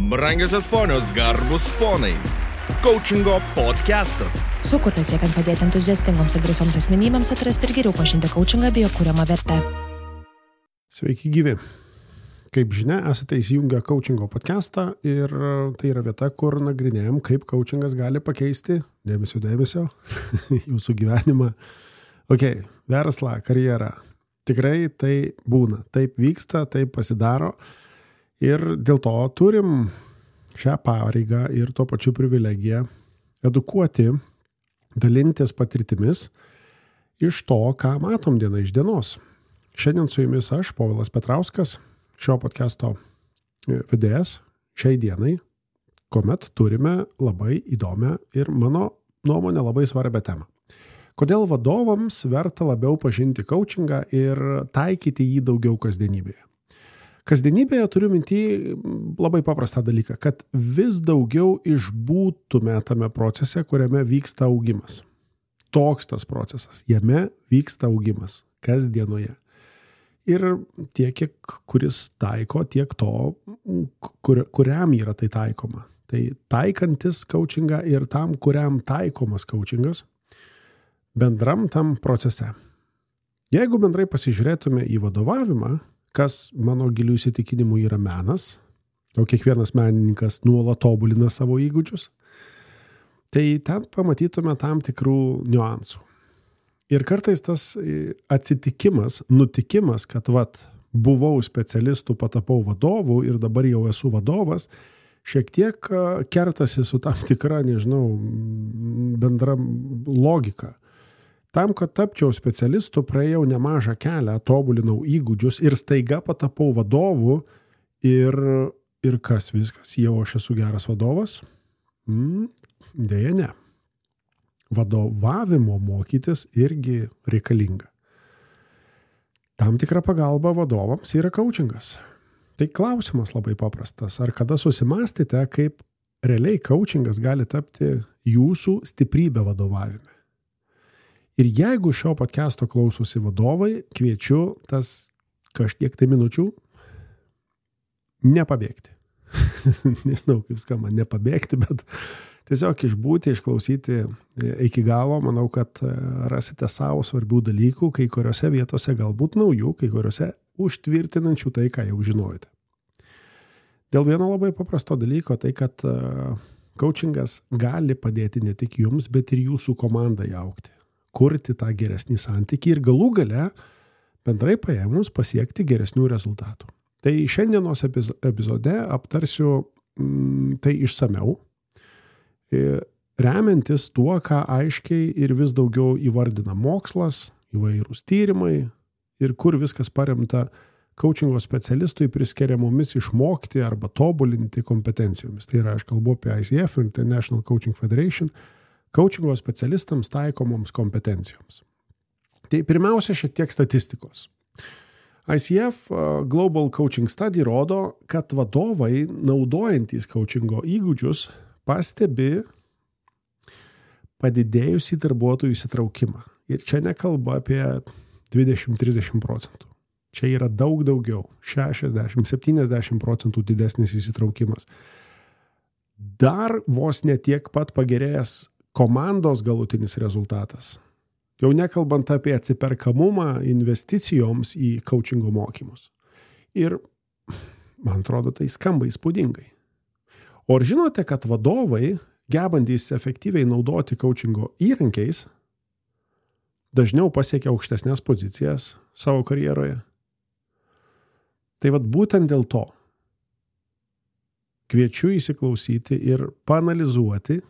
Brangiosios ponios, garbus ponai. Coachingo podcastas. Sukurtas siekiant padėti entuziastingoms ir drąsioms asmenybėms atrasti ir geriau pažinti coachingą bei jo kuriamą vertę. Sveiki gyvi. Kaip žinia, esate įsijungę Coachingo podcastą ir tai yra vieta, kur nagrinėjom, kaip coachingas gali pakeisti, dėmesio, jūsų gyvenimą. Verslą, karjerą. Tikrai tai būna, taip vyksta, taip pasidaro. Ir dėl to turim šią pareigą ir tuo pačiu privilegiją edukuoti, dalintis patirtimis iš to, ką matom diena iš dienos. Šiandien su jumis aš, Povilas Petrauskas, šio podcasto vedėjas šiai dienai, kuomet turime labai įdomią ir mano nuomonę labai svarbią temą. Kodėl vadovams verta labiau pažinti coachingą ir taikyti jį daugiau kasdienybėje? Kasdienybėje turiu minty labai paprastą dalyką, kad vis daugiau išbūtume tame procese, kuriame vyksta augimas. Toks tas procesas, jame vyksta augimas kasdienoje. Ir tiek, kuris taiko, tiek to, kuriam yra tai taikoma. Tai taikantis coachingą ir tam, kuriam taikomas coachingas, bendram tam procese. Jeigu bendrai pasižiūrėtume į vadovavimą, kas mano gilių įsitikinimų yra menas, o kiekvienas menininkas nuolat tobulina savo įgūdžius, tai ten pamatytume tam tikrų niuansų. Ir kartais tas atsitikimas, nutikimas, kad buvau specialistų, patapau vadovu ir dabar jau esu vadovas, šiek tiek kertasi su tam tikra, bendra logika. Tam, kad tapčiau specialistu, praėjau nemažą kelią, tobulinau įgūdžius ir staiga patapau vadovu ir kas viskas, jau aš esu geras vadovas? Deja ne. Vadovavimo mokytis irgi reikalinga. Tam tikra pagalba vadovams yra coachingas. Tai klausimas labai paprastas. Ar kada susimastėte, kaip realiai coachingas gali tapti jūsų stiprybė vadovavime? Ir jeigu šio podcasto klausosi vadovai, kviečiu tas kažkiek tai minučių nepabėgti. Nežinau, kaip skamba, nepabėgti, bet tiesiog išbūti, išklausyti iki galo. Manau, kad rasite savo svarbių dalykų, kai kuriuose vietose galbūt naujų, kai kuriuose užtvirtinančių tai, ką jau žinojate. Dėl vieno labai paprasto dalyko, tai kad coachingas gali padėti ne tik jums, bet ir jūsų komandai augti, kurti tą geresnį santykį ir galų gale bendrai paėmus pasiekti geresnių rezultatų. Tai šiandienos epizode aptarsiu tai išsamiau, remiantis tuo, ką aiškiai ir vis daugiau įvardina mokslas, įvairūs tyrimai ir kur viskas paremta coachingo specialistui priskiriamomis išmokti arba tobulinti kompetencijomis. Tai yra, aš kalbu apie ICF, International Coaching Federation, coachingo specialistams taikomoms kompetencijoms. Tai pirmiausia, šiek tiek statistikos. ICF Global Coaching Study rodo, kad vadovai, naudojantys coachingo įgūdžius, pastebi padidėjusį darbuotojų įsitraukimą. Ir čia nekalba apie 20-30%. Čia yra daug daugiau, 60-70% didesnis įsitraukimas. Dar vos netiek pat pagerėjęs komandos galutinis rezultatas. Jau nekalbant apie atsiperkamumą investicijoms į coachingo mokymus. Ir, man atrodo, tai skamba įspūdingai. O ar žinote, kad vadovai, gebantys efektyviai naudoti coachingo įrankiais, dažniau pasiekia aukštesnės pozicijas savo karjeroje? Tai būtent dėl to kviečiu įsiklausyti ir paanalizuoti,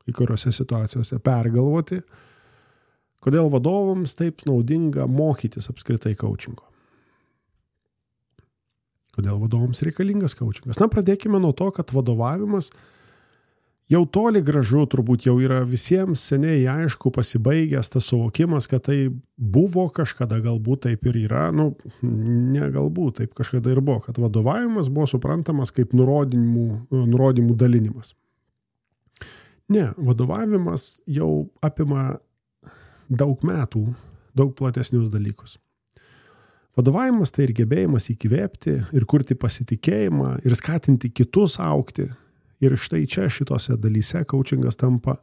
kai kuriuose situacijose pergalvoti, kodėl vadovams taip naudinga mokytis apskritai coachingo. Kodėl vadovams reikalingas coachingas? Pradėkime nuo to, kad vadovavimas jau toli gražu turbūt jau yra visiems seniai aišku pasibaigęs tas suvokimas, kad tai buvo kažkada, galbūt taip ir yra, ne galbūt, taip kažkada ir buvo, kad vadovavimas buvo suprantamas kaip nurodymų dalinimas. Ne, vadovavimas jau apima daug metų, daug platesnius dalykus. Vadovavimas tai ir gebėjimas įkvėpti, ir kurti pasitikėjimą, ir skatinti kitus augti. Ir štai čia šitose dalyse coachingas tampa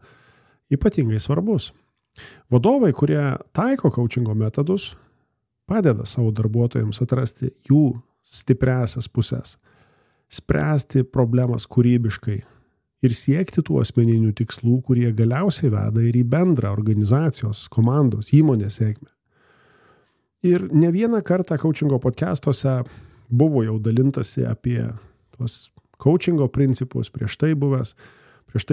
ypatingai svarbus. Vadovai, kurie taiko coachingo metodus, padeda savo darbuotojams atrasti jų stipriasias pusės, spręsti problemas kūrybiškai ir siekti tų asmeninių tikslų, kurie galiausiai veda ir į bendrą organizacijos, komandos, įmonės sėkmę. Ir ne vieną kartą coachingo podcastuose buvo jau dalintasi apie tuos coachingo principus, prieš tai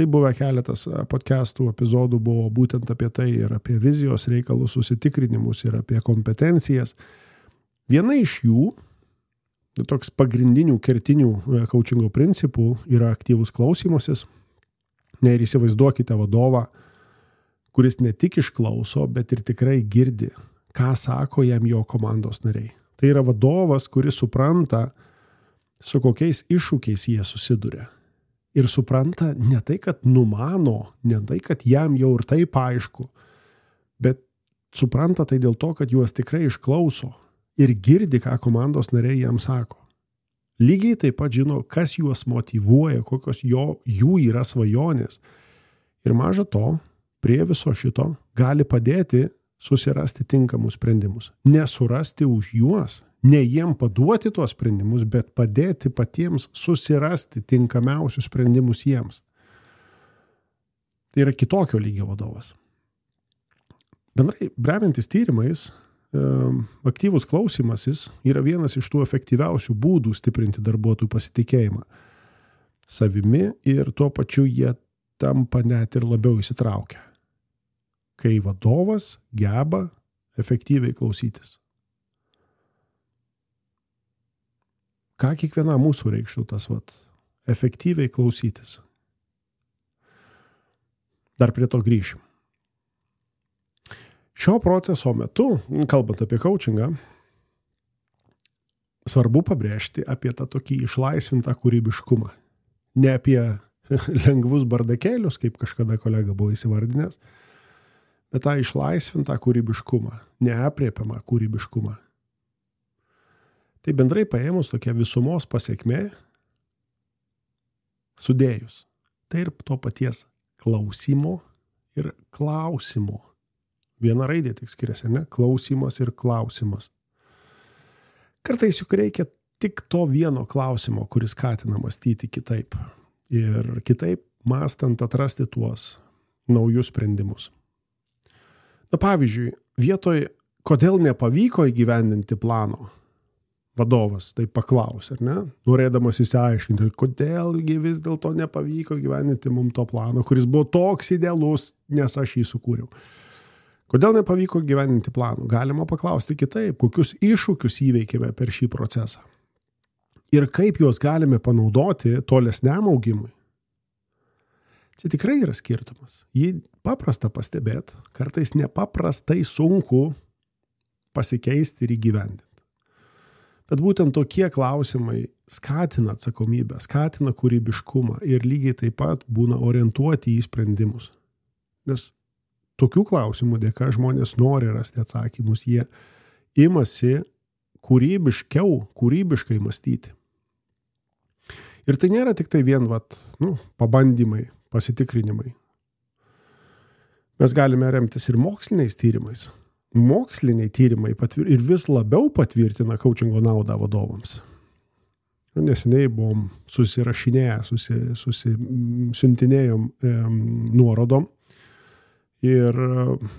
buvę keletas podcastų epizodų buvo būtent apie tai ir apie vizijos reikalus, susitikrinimus ir apie kompetencijas. Viena iš jų, toks pagrindinių kertinių coachingo principų yra aktyvus klausymasis. Ir įsivaizduokite vadovą, kuris ne tik išklauso, bet ir tikrai girdi, ką sako jam jo komandos nariai. Tai yra vadovas, kuris supranta, su kokiais iššūkiais jie susiduria. Ir supranta ne tai, kad numano, ne tai, kad jam jau ir taip aišku, bet supranta tai dėl to, kad juos tikrai išklauso ir girdi, ką komandos nariai jam sako. Lygiai taip pat žino, kas juos motyvuoja, kokios jų yra svajonės. Ir maža to, prie viso šito gali padėti susirasti tinkamus sprendimus. Nesurasti už juos, ne jiem paduoti tuos sprendimus, bet padėti patiems susirasti tinkamiausius sprendimus jiems. Tai yra kitokio lygio vadovas. Bendrai, remiantis tyrimais, aktyvus klausymasis yra vienas iš tų efektyviausių būdų stiprinti darbuotojų pasitikėjimą savimi ir tuo pačiu jie tampa net ir labiau įsitraukę, kai vadovas geba efektyviai klausytis. Ką kiekviena mūsų reikštų tas efektyviai klausytis? Dar prie to grįšim. Šio proceso metu, kalbant apie coachingą, svarbu pabrėžti apie tą tokį išlaisvintą kūrybiškumą. Ne apie lengvus bardakėlius, kaip kažkada kolega buvo įsivardinęs, bet tą išlaisvintą kūrybiškumą, neaprėpiamą kūrybiškumą. Tai bendrai paėmus tokia visumos pasekmė, sudėjus. Tai ir to paties klausimo ir klausimo. Viena raidė tik skiriasi, ne? Klausimas ir klausimas. Kartais juk reikia tik to vieno klausimo, kuris skatina mąstyti kitaip. Ir kitaip mąstant atrasti tuos naujus sprendimus. Na pavyzdžiui, vietoj kodėl nepavyko įgyvendinti plano, vadovas taip paklaus, ar ne? Norėdamas įsiaiškinti, kodėlgi vis dėlto nepavyko įgyvendinti mums to plano, kuris buvo toks idealus, nes aš jį sukūriau. Kodėl nepavyko gyveninti planų? Galima paklausti kitaip, kokius iššūkius įveikėme per šį procesą. Ir kaip juos galime panaudoti tolesniam augimui. Čia tikrai yra skirtumas. Jį paprasta pastebėti, kartais nepaprastai sunku pasikeisti ir įgyvendinti. Bet būtent tokie klausimai skatina atsakomybę, skatina kūrybiškumą ir lygiai taip pat būna orientuoti į sprendimus. Nes tokių klausimų dėka žmonės nori rasti atsakymus, jie imasi kūrybiškai mąstyti. Ir tai nėra tik tai vien pabandymai, pasitikrinimai. Mes galime remtis ir moksliniais tyrimais. Moksliniai tyrimai ir vis labiau patvirtina coachingo naudą vadovams. Neseniai buvom susirašinėję, siuntinėjom nuorodom. Ir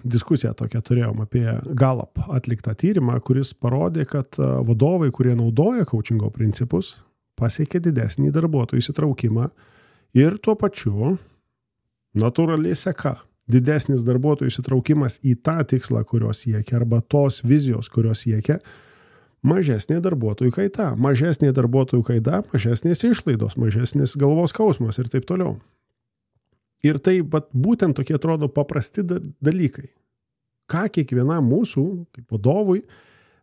diskusiją tokią turėjom apie Gallup atliktą tyrimą, kuris parodė, kad vadovai, kurie naudoja coachingo principus, pasiekė didesnį darbuotojų įsitraukimą ir tuo pačiu natūraliai seka didesnis darbuotojų įsitraukimas į tą tikslą, kurio siekia, arba tos vizijos, kurios siekia, mažesnė darbuotojų kaita. Mažesnė darbuotojų kaita, mažesnės išlaidos, mažesnės galvos skausmas ir taip toliau. Ir tai būtent tokie atrodo paprasti dalykai. Ką kiekvienam mūsų, kaip vadovui,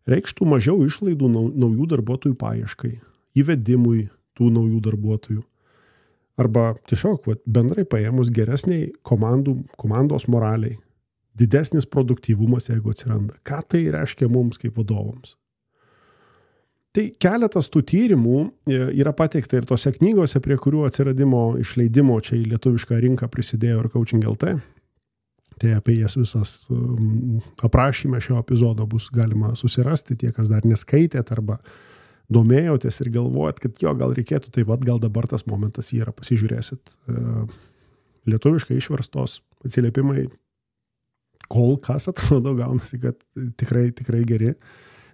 reikštų mažiau išlaidų naujų darbuotojų paieškai, įvedimui tų naujų darbuotojų. Arba tiesiog bendrai paėmus geresniai komandos moraliai, didesnis produktyvumas, jeigu atsiranda. Ką tai reiškia mums kaip vadovams? Tai keletas tų tyrimų yra pateikta ir tose knygose, prie kurių atsiradimo išleidimo čia į lietuvišką rinką prisidėjo ir Coaching LT. Tai apie jas visas aprašyme šio epizodo bus galima susirasti, tie, kas dar neskaitėt arba domėjotės ir galvojat, kad jo, gal reikėtų, tai gal dabar tas momentas yra, pasižiūrėsit. Lietuviškai išverstos atsiliepimai kol kas atrodo gaunasi, kad tikrai geri.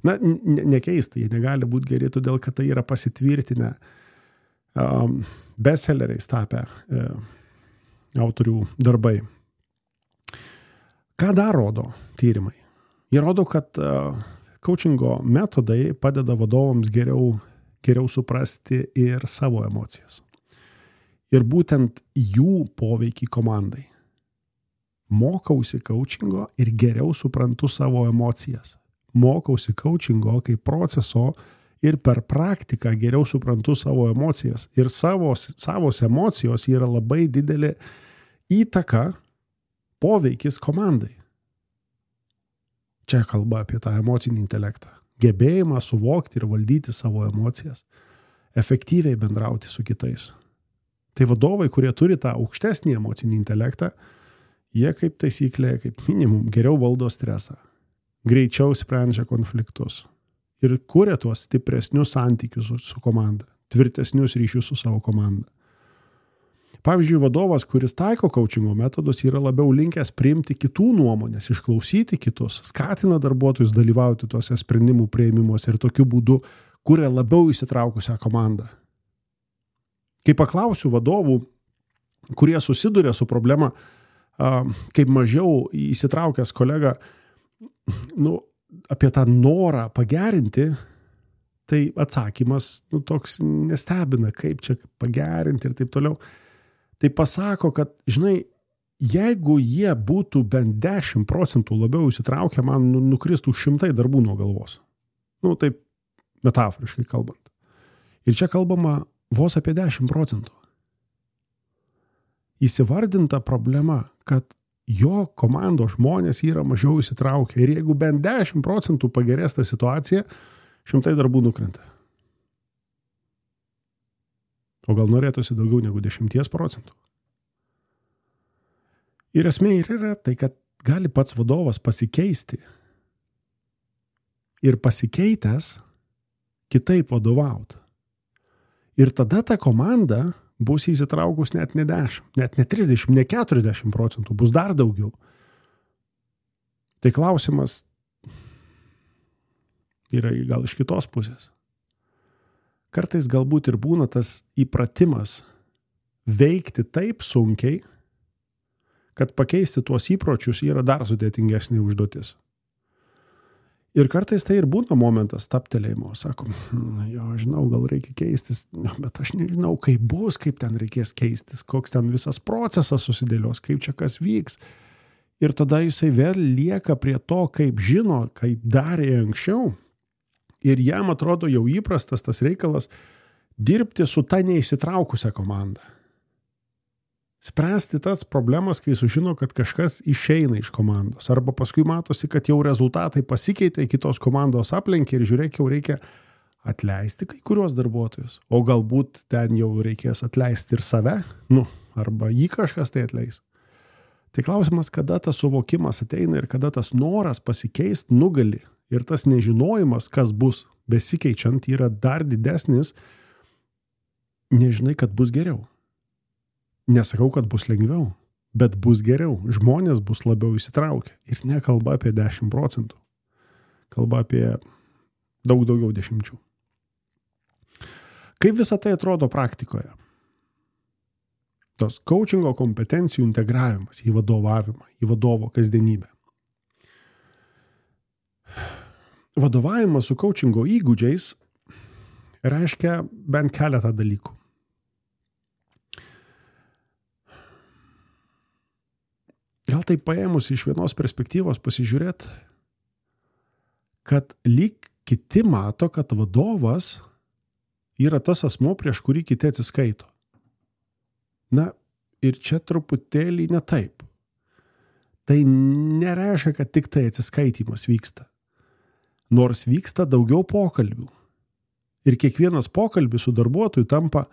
Na, nekeista, jie negali būti geri, todėl kad tai yra pasitvirtinę bestselleriais tapę autorių darbai. Ką dar rodo tyrimai? Jie rodo, kad coachingo metodai padeda vadovams geriau suprasti ir savo emocijas. Ir būtent jų poveikį komandai. Mokausi coachingo ir geriau suprantu savo emocijas. Mokausi coachingo kaip proceso ir per praktiką geriau suprantu savo emocijas. Ir savos emocijos yra labai didelė įtaka, poveikis komandai. Čia kalba apie tą emocinį intelektą. Gebėjimą suvokti ir valdyti savo emocijas. Efektyviai bendrauti su kitais. Tai vadovai, kurie turi tą aukštesnį emocinį intelektą, jie kaip taisyklė, kaip minimum, geriau valdo stresą. Greičiau sprendžia konfliktus. Ir kuria tuos stipresnius santykius su komanda. Tvirtesnius ryšius su savo komanda. Pavyzdžiui, vadovas, kuris taiko coachingo metodus, yra labiau linkęs priimti kitų nuomonės, išklausyti kitus, skatina darbuotojus dalyvauti tuose sprendimų priėmimuose ir tokiu būdu kuria labiau įsitraukusią komandą. Kai paklausiu vadovų, kurie susiduria su problema, kaip mažiau įsitraukęs kolega, apie tą norą pagerinti, tai atsakymas toks nestebina, kaip čia pagerinti ir taip toliau. Tai pasako, kad, žinai, jeigu jie būtų bent 10% labiau įsitraukę, man nukristų 100 darbų nuo galvos. Taip metaforiškai kalbant. Ir čia kalbama vos apie 10%. Įsivardinta problema, kad jo komandos žmonės yra mažiau įsitraukę. Ir jeigu bent 10% pagerės ta situacija, 100 darbų nukrenta. O gal norėtųsi daugiau negu 10%. Ir esmė yra tai, kad gali pats vadovas pasikeisti ir pasikeitęs kitaip vadovauti. Ir tada ta komanda bus įsitraukus net ne 10, net ne 30, ne 40%, bus dar daugiau. Tai klausimas yra gal iš kitos pusės. Kartais galbūt ir būna tas įpratimas veikti taip sunkiai, kad pakeisti tuos įpročius yra dar sudėtingesnė užduotis. Ir kartais tai ir būna momentas taptelėjimo. Sakom, jo, žinau, gal reikia keistis, bet aš nežinau, kaip bus, kaip ten reikės keistis, koks ten visas procesas susidėlios, kaip čia kas vyks. Ir tada jisai vėl lieka prie to, kaip žino, kaip darė anksčiau. Ir jam atrodo jau įprastas tas reikalas dirbti su ta neįsitraukusią komandą. Spręsti tas problemas, kai sužino, kad kažkas išeina iš komandos. Arba paskui matosi, kad jau rezultatai pasikeitė, kitos komandos aplenkė ir žiūrėk, jau reikia atleisti kai kuriuos darbuotojus. O galbūt ten jau reikės atleisti ir save, arba jį kažkas tai atleis. Tai klausimas, kada tas suvokimas ateina ir kada tas noras pasikeisti nugali. Ir tas nežinojimas, kas bus besikeičiant, yra dar didesnis, nežinai, kad bus geriau. Nesakau, kad bus lengviau, bet bus geriau. Žmonės bus labiau įsitraukę. Ir nekalba apie 10%. Kalba apie daug daugiau 10. Kaip visą tai atrodo praktikoje? Tos coachingo kompetencijų integravimas į vadovavimą, į vadovo kasdienybę. Vadovavimas su coachingo įgūdžiais reiškia bent keletą dalykų. Gal tai paėmus iš vienos perspektyvos pasižiūrėt, kad lyg kiti mato, kad vadovas yra tas asmuo, prieš kurį kiti atsiskaito. Ir čia truputėlį ne taip. Tai nereiškia, kad tik tai atsiskaitimas vyksta. Nors vyksta daugiau pokalbių. Ir kiekvienas pokalbis su darbuotoju tampa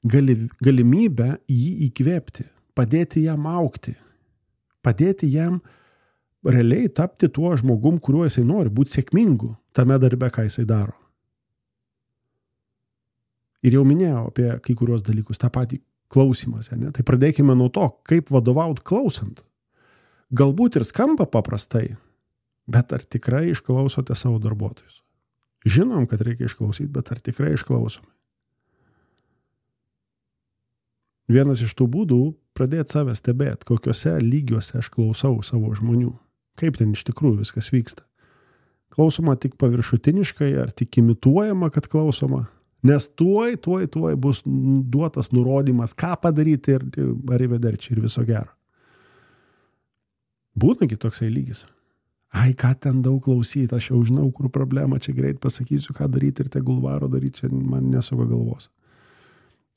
galimybę jį įkvėpti, padėti jam augti, padėti jam realiai tapti tuo žmogum, kuriuo jisai nori, būti sėkmingu tame darbe, ką jisai daro. Ir jau minėjau apie kai kurios dalykus, tą patį klausimąsi, ne? Tai pradėkime nuo to, kaip vadovaut klausant. Galbūt ir skamba paprastai, bet ar tikrai išklausote savo darbuotojus? Žinom, kad reikia išklausyti, bet ar tikrai išklausome? Vienas iš tų būdų pradėti save stebėti, kokiuose lygiuose aš klausau savo žmonių. Kaip ten iš tikrųjų viskas vyksta. Klausoma tik paviršutiniškai, ar tik imituojama, kad klausoma. Nes tuoj bus duotas nurodymas, ką padaryti ir arrivederci ir viso gero. Būnagi toksai lygis. Ai, ką ten daug klausyti, aš jau žinau, kur problema, čia greit pasakysiu, ką daryti ir tegul varo daryti, čia man nesuka galvos.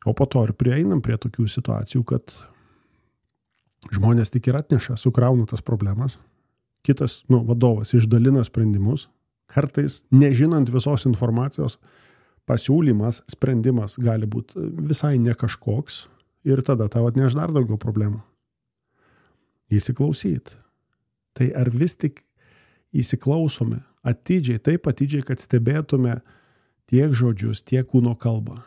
O po to ir prieinam prie tokių situacijų, kad žmonės tik ir atneša, sukrauna tas problemas. Kitas, vadovas išdalina sprendimus, kartais nežinant visos informacijos, pasiūlymas, sprendimas gali būti visai ne kažkoks ir tada tau atneš dar daugiau problemų. Įsiklausyti. Tai ar vis tik įsiklausome atidžiai, taip atidžiai, kad stebėtume tiek žodžius, tiek kūno kalbą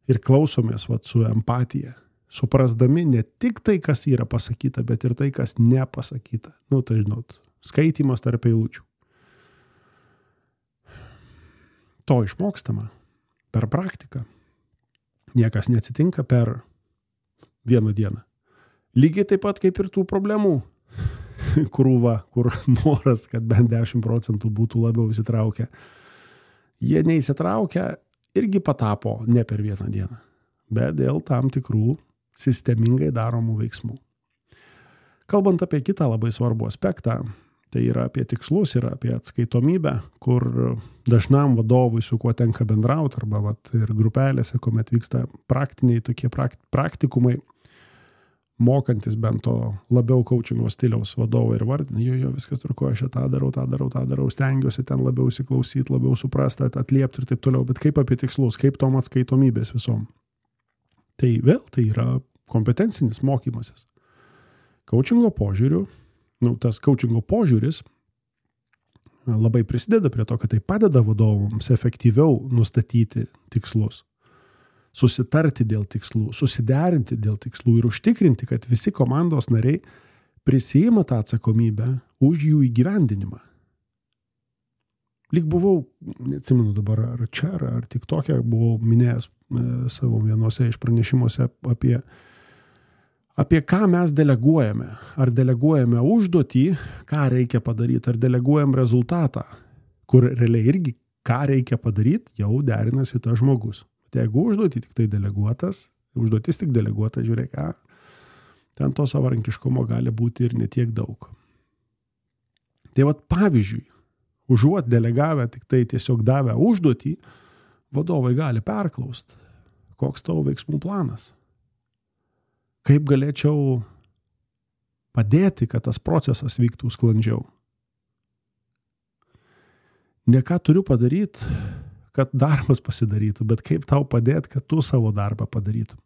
ir klausomės su empatija, suprasdami ne tik tai, kas yra pasakyta, bet ir tai, kas nepasakyta. Tai žinot, skaitymas tarp eilučių. To išmokstama per praktiką. Niekas neatsitinka per vieną dieną. Lygiai taip pat kaip ir tų problemų krūva, kur noras, kad bent 10% būtų labiau įsitraukę. Jie neįsitraukia irgi patapo ne per vieną dieną, bet dėl tam tikrų sistemingai daromų veiksmų. Kalbant apie kitą labai svarbų aspektą, tai yra apie tikslus ir apie atskaitomybę, kur dažnam vadovui su kuo tenka bendrauti, arba ir grupelėse, kuomet vyksta praktiniai tokie praktikumai, mokantis bent to labiau coachingo stiliaus vadovai ir vardina, jo, viskas tvarkoja, aš tą darau, stengiuosi ten labiau įsiklausyti, labiau suprasti, atliepti ir taip toliau, bet kaip apie tikslus, kaip tom atskaitomybės visom. Tai vėl tai yra kompetencinis mokymasis. Coachingo požiūriu, tas coachingo požiūris labai prisideda prie to, kad tai padeda vadovams efektyviau nustatyti tikslus. Susitarti dėl tikslų, susiderinti dėl tikslų ir užtikrinti, kad visi komandos nariai prisiima tą atsakomybę už jų įgyvendinimą. Lyg buvau, neatsimenu dabar, ar čia, ar tik tokia, buvau minėjęs savo vienose iš pranešimuose apie ką mes deleguojame. Ar deleguojame užduotį, ką reikia padaryti, ar deleguojam rezultatą, kur realiai irgi ką reikia padaryti, jau derinasi tas žmogus. Jeigu užduotį tik tai užduotis tik deleguota, žiūrėk, ten to savarankiškumo gali būti ir netiek daug. Tai pavyzdžiui, užuot delegavę tik tai tiesiog davę užduotį, vadovai gali perklausti, koks tavo veiksmų planas. Kaip galėčiau padėti, kad tas procesas vyktų sklandžiau. Ne ką turiu padaryti, kad darbas pasidarytų, bet kaip tau padėti, kad tu savo darbą padarytum.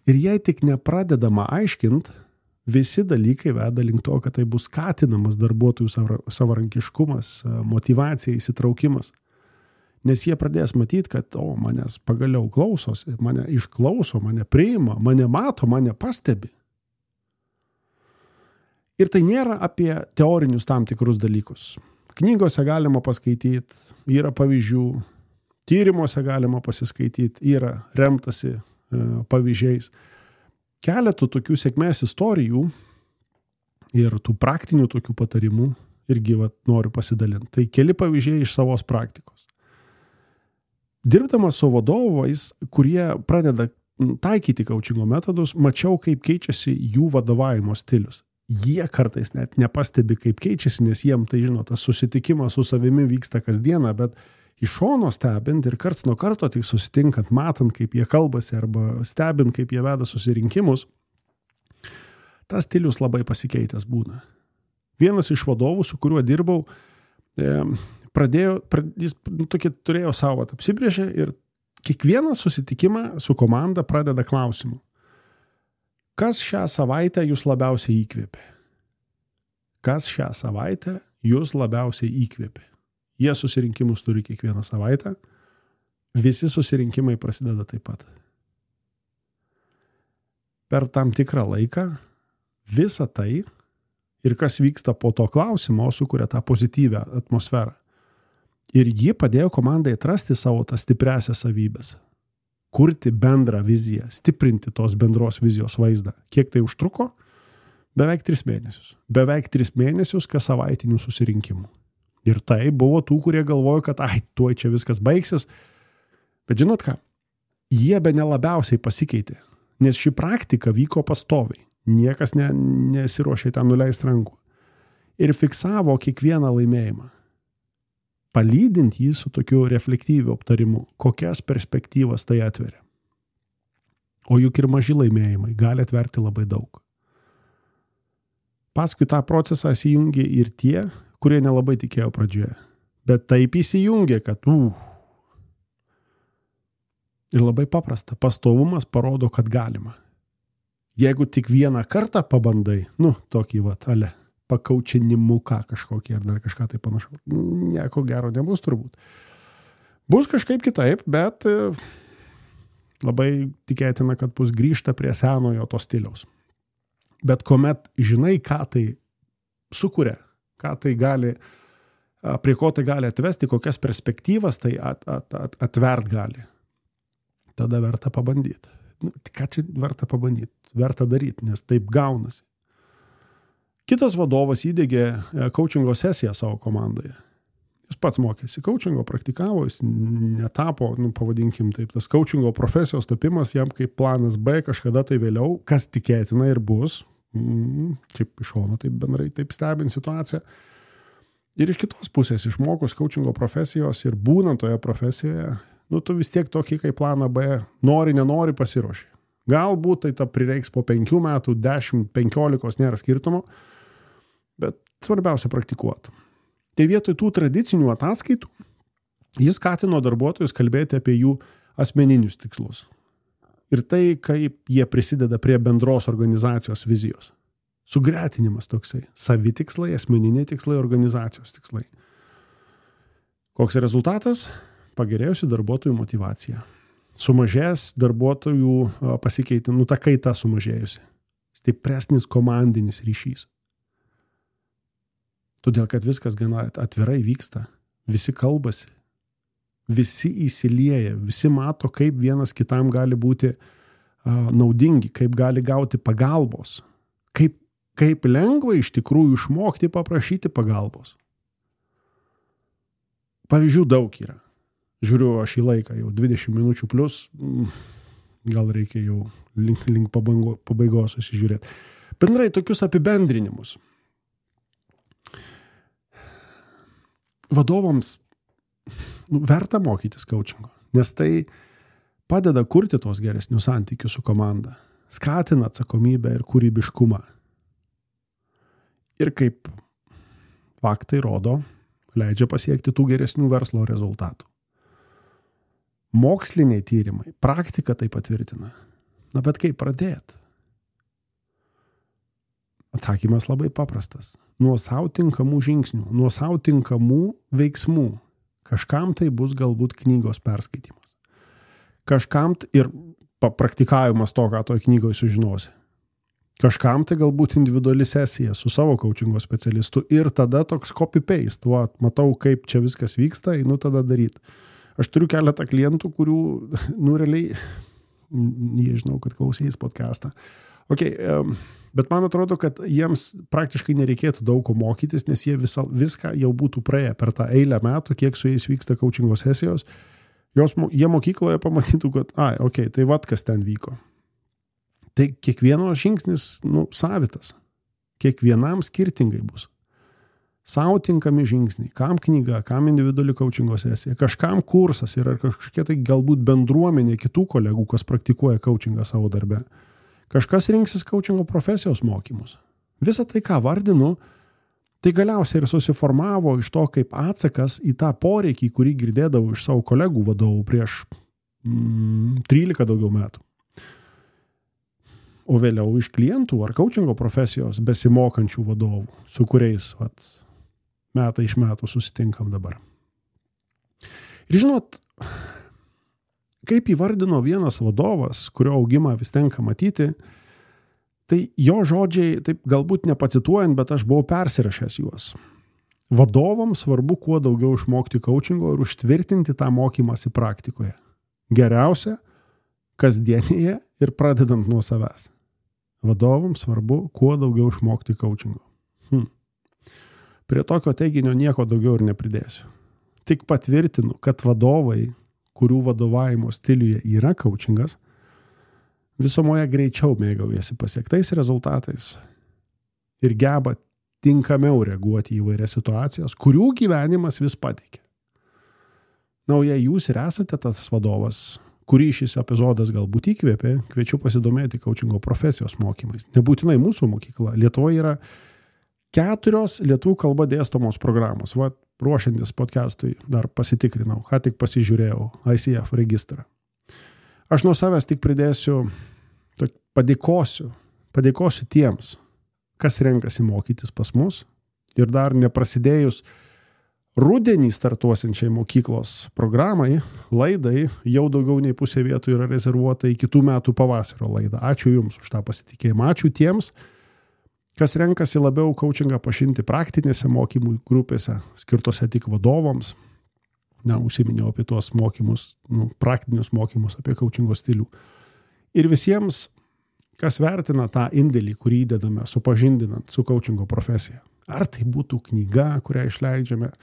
Ir jei tik nepradedama aiškint, visi dalykai veda link to, kad tai bus skatinamas darbuotojų savarankiškumas, motyvacija, įsitraukimas. Nes jie pradės matyti, kad manęs pagaliau klausosi, mane išklauso, mane priima, mane mato, mane pastebi. Ir tai nėra apie teorinius tam tikrus dalykus. Knygose galima paskaityti, yra pavyzdžių, tyrimuose galima pasiskaityti, yra remtasi pavyzdžiais. Keletų tokių sėkmės istorijų ir tų praktinių tokių patarimų irgi noriu pasidalinti. Tai keli pavyzdžiai iš savos praktikos. Dirbdamas su vadovais, kurie pradeda taikyti coachingo metodus, mačiau, kaip keičiasi jų vadovavimo stilius. Jie kartais net nepastebi, kaip keičiasi, nes jiem tai, tas susitikimas su savimi vyksta kasdieną, bet iš šono stebint ir karts nuo karto tik susitinkant, matant, kaip jie kalbasi arba stebint, kaip jie veda susirinkimus, tas stilius labai pasikeitęs būna. Vienas iš vadovų, su kuriuo dirbau, jis tokį turėjo savo apsibrėžę ir kiekvieną susitikimą su komanda pradeda klausimu. Kas šią savaitę jūs labiausiai įkvėpė? Kas šią savaitę jūs labiausiai įkvėpė? Jie susirinkimus turi kiekvieną savaitę. Visi susirinkimai prasideda taip pat. Per tam tikrą laiką visa tai ir kas vyksta po to klausimo sukuria tą pozityvę atmosferą. Ir ji padėjo komandai atrasti savo tas stipriasias savybės. Kurti bendrą viziją, stiprinti tos bendros vizijos vaizdą. Kiek tai užtruko? Beveik 3 mėnesius. Beveik 3 mėnesius kas savaitinių susirinkimų. Ir tai buvo tų, kurie galvojo, kad tuoj čia viskas baigsis. Bet žinot ką? Jie be nelabiausiai pasikeitė. Nes ši praktika vyko pastoviai. Niekas nesiruošė ten nuleisti rankų. Ir fiksavo kiekvieną laimėjimą. Palydint jį su tokiu reflektyviu aptarimu, kokias perspektyvas tai atveria. O juk ir maži laimėjimai gali atverti labai daug. Paskui tą procesą įsijungė ir tie, kurie nelabai tikėjo pradžioje. Bet taip įsijungė, kad Ir labai paprasta, pastovumas parodo, kad galima. Jeigu tik vieną kartą pabandai, tokį pakaučinimuką kažkokį ar dar kažką tai panašu, nieko gero nebus turbūt. Bus kažkaip kitaip, bet labai tikėtina, kad bus grįžta prie senojo to stiliaus. Bet kuomet žinai, ką tai sukuria, ką tai gali, prie ko tai gali atvesti, kokias perspektyvas tai atvert gali, tada verta pabandyti. Ką čia verta pabandyti? Verta daryti, nes taip gaunasi. Kitas vadovas įdegė coachingo sesiją savo komandoje. Jis pats mokėsi coachingo, praktikavo, jis netapo, pavadinkim taip, tas coachingo profesijos tapimas jam kaip planas B kažkada tai vėliau, kas tikėtina ir bus, kaip iš šono taip bendrai taip stebint situaciją. Ir iš kitos pusės išmokus coachingo profesijos ir būnant toje profesijoje, tu vis tiek tokį kaip planą B, nori, nenori pasiruoši. Galbūt tai prireiks po 5 metų, 10, 15, nėra skirtumo, bet svarbiausia praktikuoti. Tai vietoj tų tradicinių ataskaitų jis skatino darbuotojus kalbėti apie jų asmeninius tikslus. Ir tai, kaip jie prisideda prie bendros organizacijos vizijos. Sugretinimas toksai. Savitikslai, asmeniniai tikslai, organizacijos tikslai. Koks rezultatas? Pagerėjusi darbuotojų motyvacija. Sumažės darbuotojų pasikeitė, ta kaita sumažėjusi. Stipresnis komandinis ryšys. Todėl, kad viskas gana atvirai vyksta. Visi kalbasi. Visi įsilieja. Visi mato, kaip vienas kitam gali būti naudingi, kaip gali gauti pagalbos. Kaip lengva iš tikrųjų išmokti paprašyti pagalbos. Pavyzdžių daug yra. Žiūriu aš į laiką, jau 20 minučių plus, gal reikia jau link pabaigos susižiūrėti. Bendrai tokius apibendrinimus. Vadovams verta mokytis coachingo, nes tai padeda kurti tos geresnius santykius su komanda, skatina atsakomybę ir kūrybiškumą. Ir kaip faktai rodo, leidžia pasiekti tų geresnių verslo rezultatų. Moksliniai tyrimai, praktika tai patvirtina. Bet kaip pradėti? Atsakymas labai paprastas. Nuo sau tinkamų žingsnių, nuo sau tinkamų veiksmų. Kažkam tai bus galbūt knygos perskaitimas. Kažkam ir papraktikavimas to, ką toj knygoje sužinosi. Kažkam tai galbūt individuali sesija su savo coachingo specialistu ir tada toks copy-paste. Matau, kaip čia viskas vyksta, einu tada daryti. Aš turiu keletą klientų, kurių, realiai, jie žinau, kad klausys podcastą. Bet man atrodo, kad jiems praktiškai nereikėtų daug ko mokytis, nes jie viską jau būtų praėję per tą eilę metų, kiek su jais vyksta coachingo sesijos. Jie mokykloje pamatytų, kad, tai kas ten vyko. Tai kiekvieno žingsnis, savitas. Kiekvienam skirtingai bus. Sau tinkami žingsniai, kam knyga, kam individuali coachingo sesija, kažkam kursas yra kažkokia tai galbūt bendruomenė kitų kolegų, kas praktikuoja coachingą savo darbe. Kažkas rinksis coachingo profesijos mokymus. Visą tai, ką vardinu, Tai galiausiai ir susiformavo iš to kaip atsakas į tą poreikį, kurį girdėdavau iš savo kolegų vadovų prieš 13 daugiau metų. O vėliau iš klientų ar coachingo profesijos besimokančių vadovų, su kuriais metai iš metų susitinkam dabar. Ir žinot, kaip įvardino vienas vadovas, kurio augimą vis tenka matyti, tai jo žodžiai, taip galbūt nepacituojant, bet aš buvau persirašęs juos. Vadovams svarbu kuo daugiau išmokti coachingo ir užtvirtinti tą mokymąsi praktikoje. Geriausia, kasdienėje ir pradedant nuo savęs. Vadovams svarbu kuo daugiau išmokti coachingo. Prie tokio teiginio nieko daugiau ir nepridėsiu. Tik patvirtinu, kad vadovai, kurių vadovavimo stiliuje yra coachingas, visumoje greičiau mėgaujasi pasiektais rezultatais ir geba tinkamiau reaguoti į įvairias situacijas, kurių gyvenimas vis pateikia. Na, o jei jūs ir esate tas vadovas, kurį šis epizodas galbūt įkvėpė, kviečiu pasidomėti coachingo profesijos mokymais. Nebūtinai mūsų mokykla. Lietuvoje yra 4 lietuvių kalba dėstomos programos. Ruošiantis podcastui dar pasitikrinau, ką tik pasižiūrėjau ICF registrą. Aš nuo savęs tik pridėsiu, padėkosiu tiems, kas renkasi mokytis pas mus ir dar neprasidėjus rudenį startuosiančiai mokyklos programai, laidai, jau daugiau nei pusė vietų yra rezervuota į kitų metų pavasario laidą. Ačiū Jums už tą pasitikėjimą. Ačiū tiems, kas renkasi labiau coachingą pažinti praktinėse mokymų grupėse, skirtose tik vadovams. Užsiminiau apie tuos mokymus, praktinius mokymus apie coachingo stilių. Ir visiems, kas vertina tą indėlį, kurį įdedame supažindinant su coachingo profesija. Ar tai būtų knyga, kurią išleidžiame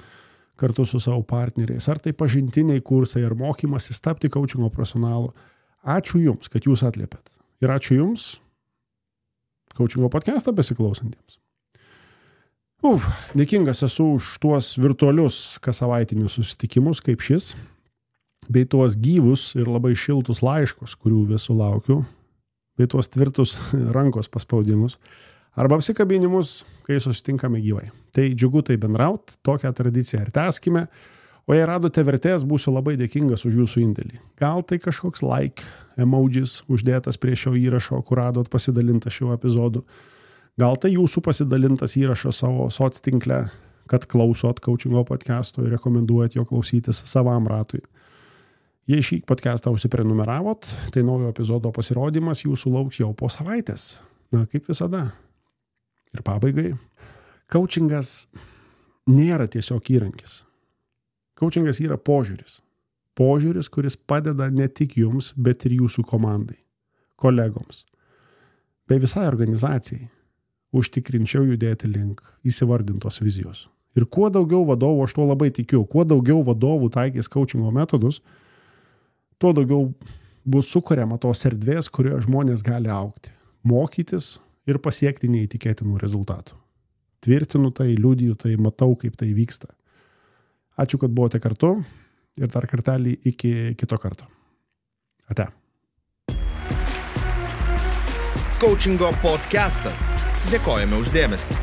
kartu su savo partneriais, ar tai pažintiniai kursai, ar mokymasis tapti coachingo profesionalu. Ačiū Jums, kad Jūs atliepėt. Ir ačiū Jums, coachingo podcastą besiklausantiems. Dėkingas esu už tuos virtualius kasavaitinius susitikimus kaip šis, bei tuos gyvus ir labai šiltus laiškus, kurių vis sulaukiu, bei tuos tvirtus rankos paspaudimus arba apsikabinimus, kai susitinkame gyvai. Tai džiugu tai bendraut, tokią tradiciją ir tęskime, o jei radote vertės, būsiu labai dėkingas už Jūsų indėlį. Gal tai kažkoks like emojis uždėtas prie šio įrašo, kur radot pasidalintą šiuo epizodu. Gal tai Jūsų pasidalintas įrašas savo soctinkle, kad klausot coachingo podcasto ir rekomenduojat jo klausytis savam ratui. Jei šį podcastą užsiprenumeravot, tai naujo epizodo pasirodymas Jūsų lauks jau po savaitės. Na, kaip visada. Ir pabaigai. Coachingas nėra tiesiog įrankis. Coachingas yra požiūris. Požiūris, kuris padeda ne tik Jums, bet ir Jūsų komandai, kolegoms, bei visai organizacijai užtikrinčiau judėti link įsivardintos vizijos. Ir kuo daugiau vadovų, aš tuo labai tikiu, kuo daugiau vadovų taikys coachingo metodus, tuo daugiau bus sukuriama tos erdvės, kurioje žmonės gali augti, mokytis ir pasiekti neįtikėtinų rezultatų. Tvirtinu tai, liudiju tai, matau, kaip tai vyksta. Ačiū, kad buvote kartu ir dar kartelį iki kito karto. Ate. Coachingo podcastas. Dėkojame už dėmesį.